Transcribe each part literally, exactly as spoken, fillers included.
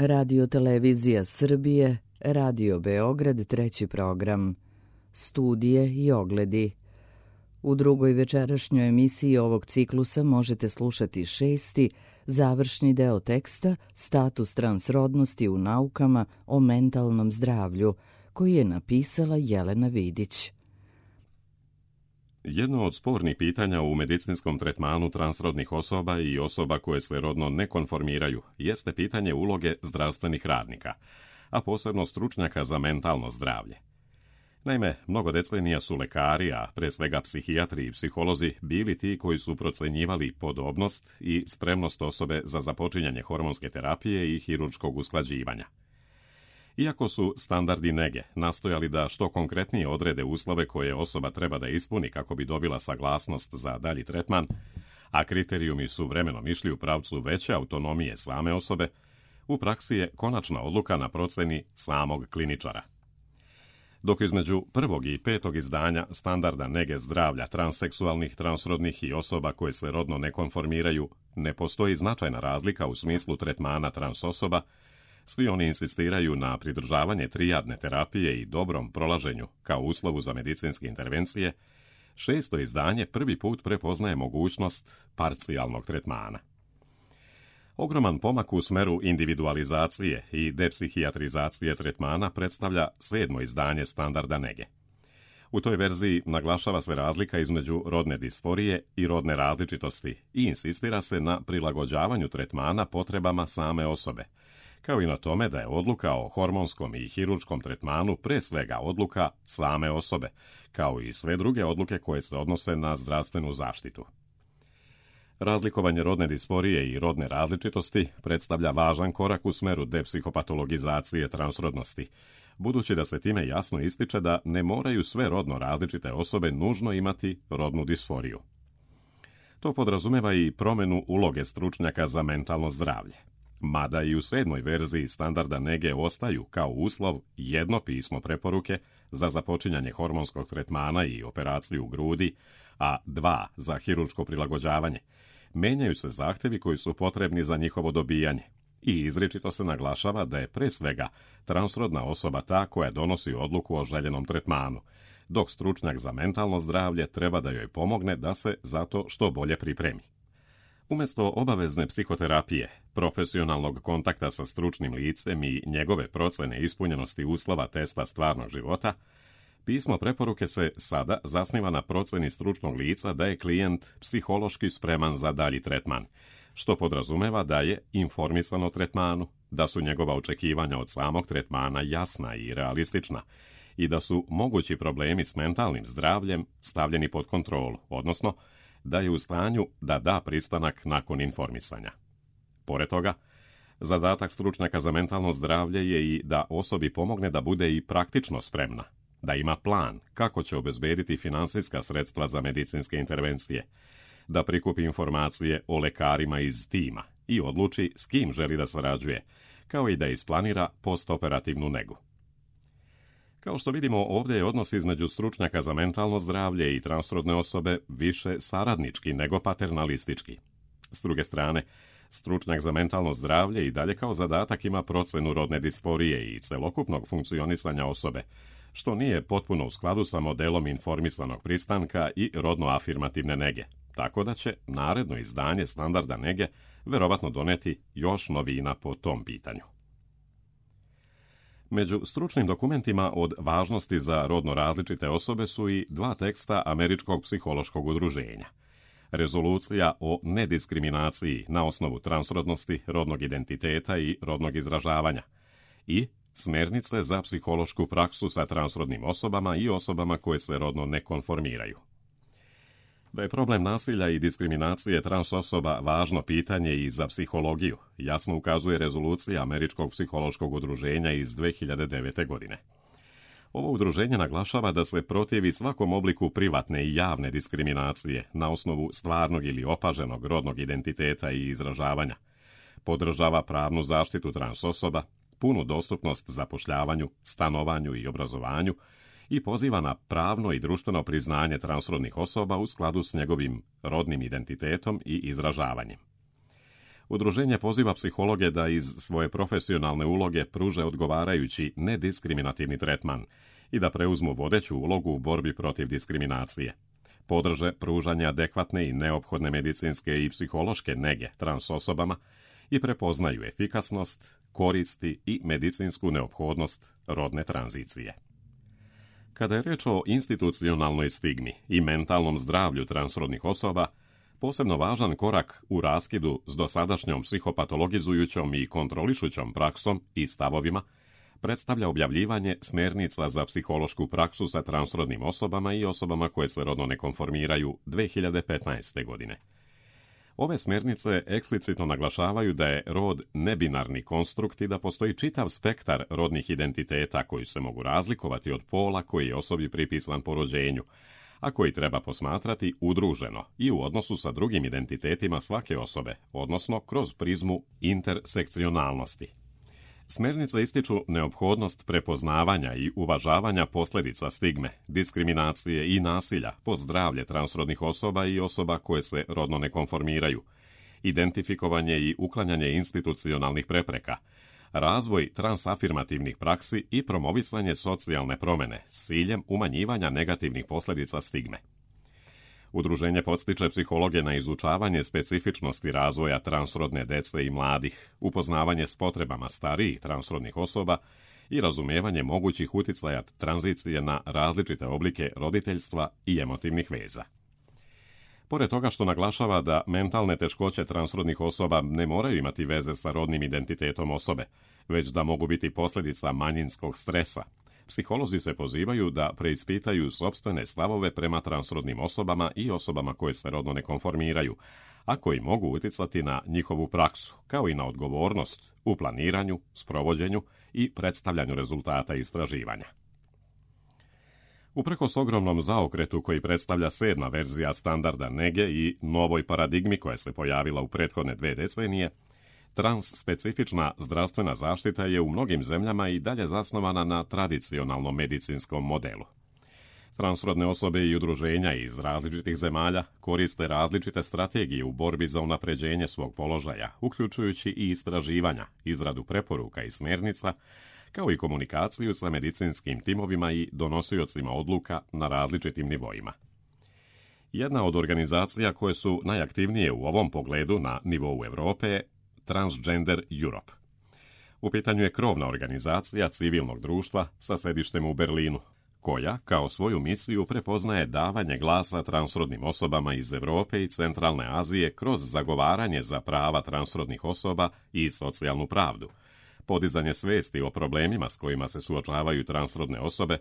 Radio Televizija Srbije, Radio Beograd, treći program. Studije i ogledi. U drugoj večerašnjoj emisiji ovog ciklusa možete slušati šesti, završni deo teksta Status transrodnosti u naukama o mentalnom zdravlju, koji je napisala Jelena Vidić. Jedno od spornih pitanja u medicinskom tretmanu transrodnih osoba i osoba koje se rodno ne konformiraju jeste pitanje uloge zdravstvenih radnika, a posebno stručnjaka za mentalno zdravlje. Naime, mnogo decenija su lekari, a pre svega psihijatri i psiholozi, bili ti koji su procenjivali podobnost i spremnost osobe za započinjanje hormonske terapije i hirurškog usklađivanja. Iako su standardi nege nastojali da što konkretnije odrede uslove koje osoba treba da ispuni kako bi dobila saglasnost za dalji tretman, a kriterijumi su vremenom išli u pravcu veće autonomije same osobe, u praksi je konačna odluka na proceni samog kliničara. Dok između prvog i petog izdanja standarda nege zdravlja transseksualnih, transrodnih i osoba koje se rodno ne konformiraju ne postoji značajna razlika u smislu tretmana trans osoba, svi oni insistiraju na pridržavanje trijadne terapije i dobrom prolaženju kao uslovu za medicinske intervencije, šesto izdanje prvi put prepoznaje mogućnost parcijalnog tretmana. Ogroman pomak u smeru individualizacije i depsihijatrizacije tretmana predstavlja sedmo izdanje standarda nege. U toj verziji naglašava se razlika između rodne disforije i rodne različitosti i insistira se na prilagođavanju tretmana potrebama same osobe, kao i na tome da je odluka o hormonskom i hirurškom tretmanu pre svega odluka same osobe, kao i sve druge odluke koje se odnose na zdravstvenu zaštitu. Razlikovanje rodne disforije i rodne različitosti predstavlja važan korak u smeru depsihopatologizacije transrodnosti, budući da se time jasno ističe da ne moraju sve rodno različite osobe nužno imati rodnu disforiju. To podrazumeva i promenu uloge stručnjaka za mentalno zdravlje. Mada i u sedmoj verziji standarda nege ostaju kao uslov jedno pismo preporuke za započinjanje hormonskog tretmana i operaciju u grudi, a dva za hirurško prilagođavanje, menjaju se zahtevi koji su potrebni za njihovo dobijanje i izričito se naglašava da je pre svega transrodna osoba ta koja donosi odluku o željenom tretmanu, dok stručnjak za mentalno zdravlje treba da joj pomogne da se za to što bolje pripremi. Umjesto obavezne psihoterapije, profesionalnog kontakta sa stručnim licem i njegove procene ispunjenosti uslova testa stvarnog života, pismo preporuke se sada zasniva na proceni stručnog lica da je klijent psihološki spreman za dalji tretman, što podrazumeva da je informisan o tretmanu, da su njegova očekivanja od samog tretmana jasna i realistična i da su mogući problemi s mentalnim zdravljem stavljeni pod kontrolu, odnosno da je u stanju da da pristanak nakon informisanja. Pored toga, zadatak stručnjaka za mentalno zdravlje je i da osobi pomogne da bude i praktično spremna, da ima plan kako će obezbediti finansijska sredstva za medicinske intervencije, da prikupi informacije o lekarima iz tima i odluči s kim želi da sarađuje, kao i da isplanira postoperativnu negu. Kao što vidimo, ovdje je odnos između stručnjaka za mentalno zdravlje i transrodne osobe više saradnički nego paternalistički. S druge strane, stručnjak za mentalno zdravlje i dalje kao zadatak ima procenu rodne disforije i celokupnog funkcionisanja osobe, što nije potpuno u skladu sa modelom informisanog pristanka i rodno-afirmativne nege, tako da će naredno izdanje standarda nege verovatno doneti još novina po tom pitanju. Među stručnim dokumentima od važnosti za rodno različite osobe su i dva teksta Američkog psihološkog udruženja. Rezolucija o nediskriminaciji na osnovu transrodnosti, rodnog identiteta i rodnog izražavanja i Smernice za psihološku praksu sa transrodnim osobama i osobama koje se rodno ne konformiraju. Da je problem nasilja i diskriminacije trans osoba važno pitanje i za psihologiju, jasno ukazuje rezolucija Američkog psihološkog udruženja iz dve hiljade devete. godine. Ovo udruženje naglašava da se protivi svakom obliku privatne i javne diskriminacije na osnovu stvarnog ili opaženog rodnog identiteta i izražavanja, podržava pravnu zaštitu trans osoba, punu dostupnost zapošljavanju, stanovanju i obrazovanju i poziva na pravno i društveno priznanje transrodnih osoba u skladu s njegovim rodnim identitetom i izražavanjem. Udruženje poziva psihologe da iz svoje profesionalne uloge pruže odgovarajući nediskriminativni tretman i da preuzmu vodeću ulogu u borbi protiv diskriminacije. Podrže pružanje adekvatne i neophodne medicinske i psihološke nege trans osobama i prepoznaju efikasnost, koristi i medicinsku neophodnost rodne tranzicije. Kada je reč o institucionalnoj stigmi i mentalnom zdravlju transrodnih osoba, posebno važan korak u raskidu s dosadašnjom psihopatologizujućom i kontrolišućom praksom i stavovima predstavlja objavljivanje smjernica za psihološku praksu sa transrodnim osobama i osobama koje se rodno ne konformiraju dvije hiljade petnaeste. godine. Ove smjernice eksplicitno naglašavaju da je rod nebinarni konstrukt i da postoji čitav spektar rodnih identiteta koji se mogu razlikovati od pola koji je osobi pripisan po rođenju, a koji treba posmatrati udruženo i u odnosu sa drugim identitetima svake osobe, odnosno kroz prizmu intersekcionalnosti. Smjernice ističu neophodnost prepoznavanja i uvažavanja posljedica stigme, diskriminacije i nasilja po zdravlje transrodnih osoba i osoba koje se rodno ne konformiraju, identifikovanje i uklanjanje institucionalnih prepreka, razvoj transafirmativnih praksi i promovisanje socijalne promjene s ciljem umanjivanja negativnih posljedica stigme. Udruženje podstiče psihologe na izučavanje specifičnosti razvoja transrodne dece i mladih, upoznavanje s potrebama starijih transrodnih osoba i razumijevanje mogućih utjecaja tranzicije na različite oblike roditeljstva i emotivnih veza. Pored toga što naglašava da mentalne teškoće transrodnih osoba ne moraju imati veze sa rodnim identitetom osobe, već da mogu biti posljedica manjinskog stresa, psiholozi se pozivaju da preispitaju sopstvene stavove prema transrodnim osobama i osobama koje se rodno ne konformiraju, a koji mogu utjecati na njihovu praksu, kao i na odgovornost u planiranju, sprovođenju i predstavljanju rezultata istraživanja. Uprkos ogromnom zaokretu koji predstavlja sedma verzija standarda nege i novoj paradigmi koja se pojavila u prethodne dve decenije, transspecifična zdravstvena zaštita je u mnogim zemljama i dalje zasnovana na tradicionalnom medicinskom modelu. Transrodne osobe i udruženja iz različitih zemalja koriste različite strategije u borbi za unapređenje svog položaja, uključujući i istraživanja, izradu preporuka i smjernica, kao i komunikaciju sa medicinskim timovima i donosiocima odluka na različitim nivoima. Jedna od organizacija koje su najaktivnije u ovom pogledu na nivou Europe je Transgender Europe. U pitanju je krovna organizacija civilnog društva sa sedištem u Berlinu, koja kao svoju misiju prepoznaje davanje glasa transrodnim osobama iz Europe i Centralne Azije kroz zagovaranje za prava transrodnih osoba i socijalnu pravdu, podizanje svijesti o problemima s kojima se suočavaju transrodne osobe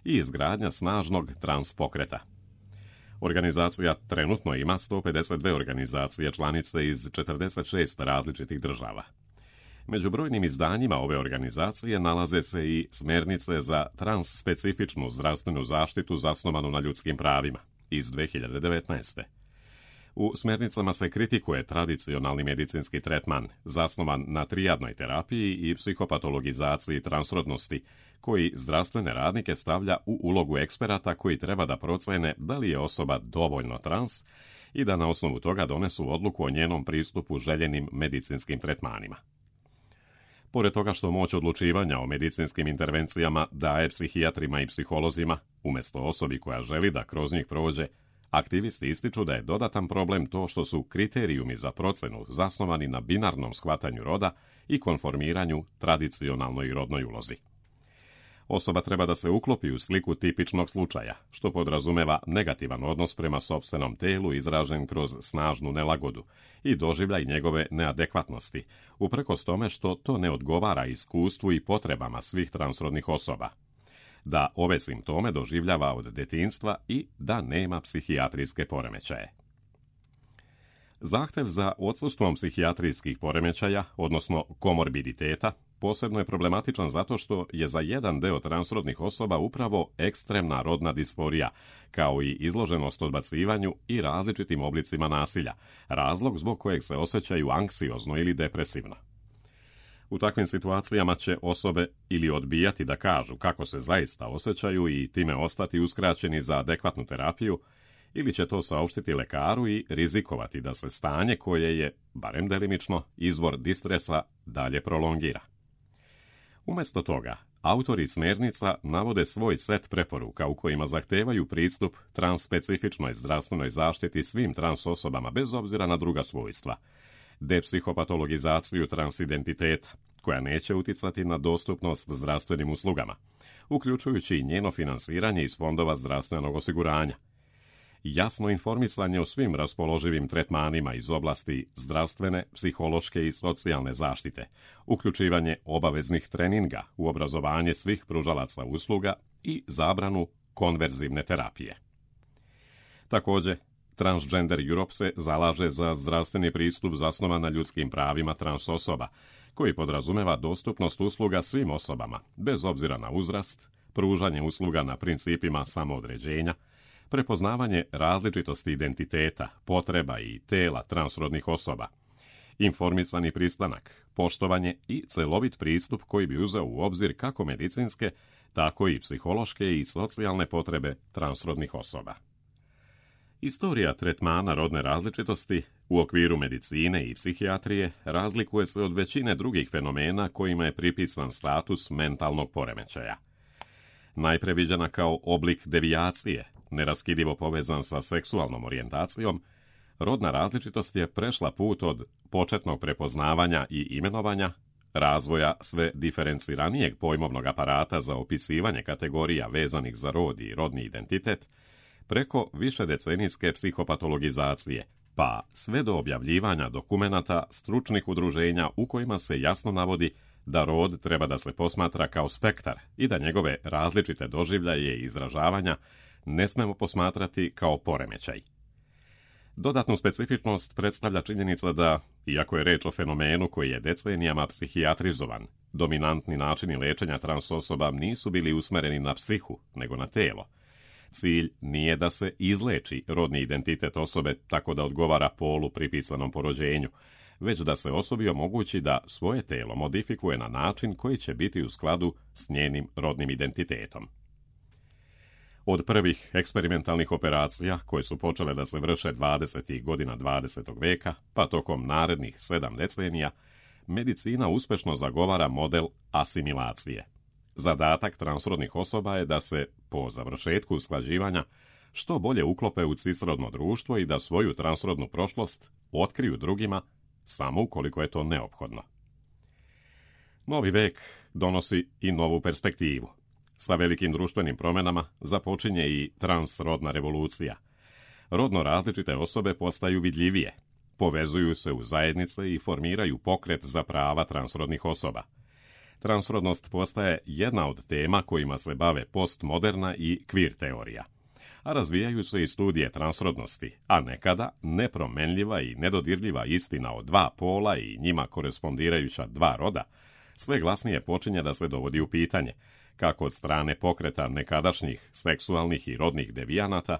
i izgradnja snažnog transpokreta. Organizacija trenutno ima sto pedeset dvije organizacije članice iz četrdeset šest različitih država. Među brojnim izdanjima ove organizacije nalaze se i smjernice za transspecifičnu zdravstvenu zaštitu zasnovanu na ljudskim pravima iz dvije hiljade devetnaeste. U smjernicama se kritikuje tradicionalni medicinski tretman zasnovan na trijadnoj terapiji i psihopatologizaciji transrodnosti, koji zdravstvene radnike stavlja u ulogu eksperata koji treba da procene da li je osoba dovoljno trans i da na osnovu toga donesu odluku o njenom pristupu željenim medicinskim tretmanima. Pored toga što moć odlučivanja o medicinskim intervencijama daje psihijatrima i psiholozima, umjesto osobi koja želi da kroz njih prođe, aktivisti ističu da je dodatan problem to što su kriterijumi za procenu zasnovani na binarnom shvatanju roda i konformiranju tradicionalnoj rodnoj ulozi. Osoba treba da se uklopi u sliku tipičnog slučaja, što podrazumeva negativan odnos prema sopstvenom telu izražen kroz snažnu nelagodu i doživljaj njegove neadekvatnosti, uprkos tome što to ne odgovara iskustvu i potrebama svih transrodnih osoba, da ove simptome doživljava od detinjstva i da nema psihijatrijske poremećaje. Zahtev za odsustvom psihijatrijskih poremećaja, odnosno komorbiditeta, posebno je problematičan zato što je za jedan deo transrodnih osoba upravo ekstremna rodna disforija, kao i izloženost odbacivanju i različitim oblicima nasilja, razlog zbog kojeg se osjećaju anksiozno ili depresivno. U takvim situacijama će osobe ili odbijati da kažu kako se zaista osjećaju i time ostati uskraćeni za adekvatnu terapiju, ili će to saopštiti lekaru i rizikovati da se stanje koje je, barem delimično, izvor distresa dalje prolongira. Umjesto toga, autori smjernica navode svoj set preporuka u kojima zahtevaju pristup transspecifičnoj zdravstvenoj zaštiti svim trans osobama bez obzira na druga svojstva, depsihopatologizaciju transidentiteta, koja neće uticati na dostupnost zdravstvenim uslugama, uključujući i njeno finansiranje iz fondova zdravstvenog osiguranja, jasno informisanje o svim raspoloživim tretmanima iz oblasti zdravstvene, psihološke i socijalne zaštite, uključivanje obaveznih treninga u obrazovanje svih pružalaca usluga i zabranu konverzivne terapije. Također, Transgender Europe se zalaže za zdravstveni pristup zasnovan na ljudskim pravima trans osoba, koji podrazumeva dostupnost usluga svim osobama, bez obzira na uzrast, pružanje usluga na principima samoodređenja, prepoznavanje različitosti identiteta, potreba i tela transrodnih osoba, informisani pristanak, poštovanje i celovit pristup koji bi uzeo u obzir kako medicinske, tako i psihološke i socijalne potrebe transrodnih osoba. Istorija tretmana rodne različitosti u okviru medicine i psihijatrije razlikuje se od većine drugih fenomena kojima je pripisan status mentalnog poremećaja. Najpre viđena kao oblik devijacije, neraskidivo povezan sa seksualnom orijentacijom, rodna različitost je prešla put od početnog prepoznavanja i imenovanja, razvoja sve diferenciranijeg pojmovnog aparata za opisivanje kategorija vezanih za rod i rodni identitet, preko višedecenijske psihopatologizacije, pa sve do objavljivanja dokumenata stručnih udruženja u kojima se jasno navodi da rod treba da se posmatra kao spektar i da njegove različite doživljaje i izražavanja ne smemo posmatrati kao poremećaj. Dodatnu specifičnost predstavlja činjenica da, iako je reč o fenomenu koji je decenijama psihijatrizovan, dominantni načini lečenja trans osoba nisu bili usmereni na psihu, nego na telo. Cilj nije da se izleči rodni identitet osobe tako da odgovara polu pripisanom po rođenju, već da se osobi omogući da svoje telo modifikuje na način koji će biti u skladu s njenim rodnim identitetom. Od prvih eksperimentalnih operacija, koje su počele da se vrše dvadesetih godina dvadesetog veka, pa tokom narednih sedam decenija, medicina uspešno zagovara model asimilacije. Zadatak transrodnih osoba je da se, po završetku usklađivanja, što bolje uklope u cisrodno društvo i da svoju transrodnu prošlost otkriju drugima, samo ukoliko je to neophodno. Novi vek donosi i novu perspektivu. Sa velikim društvenim promjenama započinje i transrodna revolucija. Rodno različite osobe postaju vidljivije, povezuju se u zajednice i formiraju pokret za prava transrodnih osoba. Transrodnost postaje jedna od tema kojima se bave postmoderna i queer teorija, a razvijaju se i studije transrodnosti, a nekada nepromenljiva i nedodirljiva istina o dva pola i njima korespondirajuća dva roda, sve glasnije počinje da se dovodi u pitanje, kako od strane pokreta nekadašnjih seksualnih i rodnih devijanata,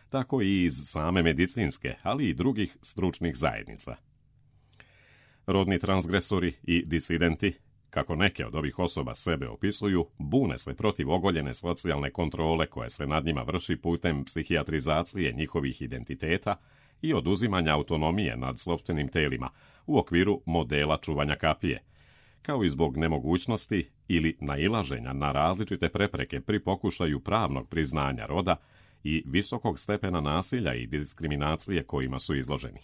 tako i iz same medicinske, ali i drugih stručnih zajednica. Rodni transgresori i disidenti, kako neke od ovih osoba sebe opisuju, bune se protiv ogoljene socijalne kontrole koja se nad njima vrši putem psihijatrizacije njihovih identiteta i oduzimanja autonomije nad sopstvenim telima u okviru modela čuvanja kapije, kao i zbog nemogućnosti ili nailaženja na različite prepreke pri pokušaju pravnog priznanja roda i visokog stepena nasilja i diskriminacije kojima su izloženi.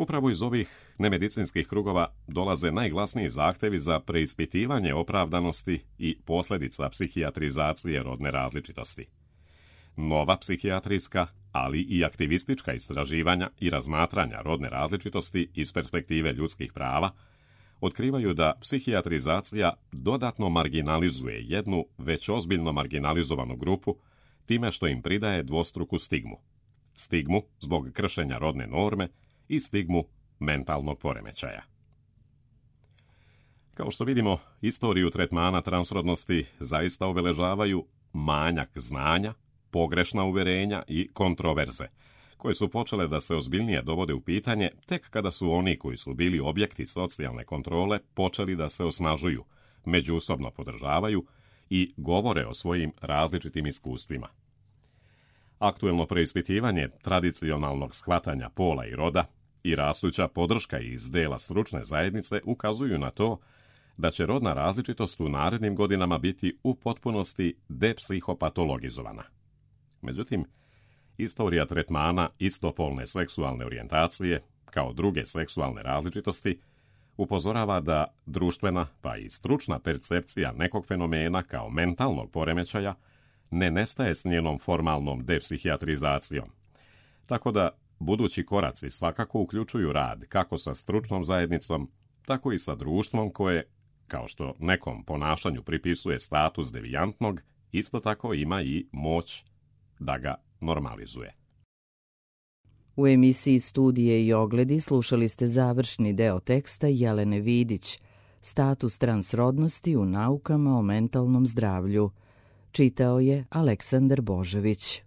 Upravo iz ovih nemedicinskih krugova dolaze najglasniji zahtevi za preispitivanje opravdanosti i posljedica psihijatrizacije rodne različitosti. Nova psihijatrijska, ali i aktivistička istraživanja i razmatranja rodne različitosti iz perspektive ljudskih prava otkrivaju da psihijatrizacija dodatno marginalizuje jednu već ozbiljno marginalizovanu grupu time što im pridaje dvostruku stigmu. Stigmu zbog kršenja rodne norme i stigmu mentalnog poremećaja. Kao što vidimo, istoriju tretmana transrodnosti zaista obeležavaju manjak znanja, pogrešna uverenja i kontroverze, koje su počele da se ozbiljnije dovode u pitanje tek kada su oni koji su bili objekti socijalne kontrole počeli da se osnažuju, međusobno podržavaju i govore o svojim različitim iskustvima. Aktuelno preispitivanje tradicionalnog shvatanja pola i roda i rastuća podrška iz dela stručne zajednice ukazuju na to da će rodna različitost u narednim godinama biti u potpunosti depsihopatologizovana. Međutim, istorija tretmana istopolne seksualne orijentacije, kao druge seksualne različitosti, upozorava da društvena pa i stručna percepcija nekog fenomena kao mentalnog poremećaja ne nestaje s njenom formalnom depsihijatrizacijom. Tako da budući koraci svakako uključuju rad kako sa stručnom zajednicom, tako i sa društvom koje, kao što nekom ponašanju pripisuje status devijantnog, isto tako ima i moć da ga normalizuje. U emisiji Studije i ogledi slušali ste završni deo teksta Jelene Vidić, Status transrodnosti u naukama o mentalnom zdravlju. Čitao je Aleksandar Božović.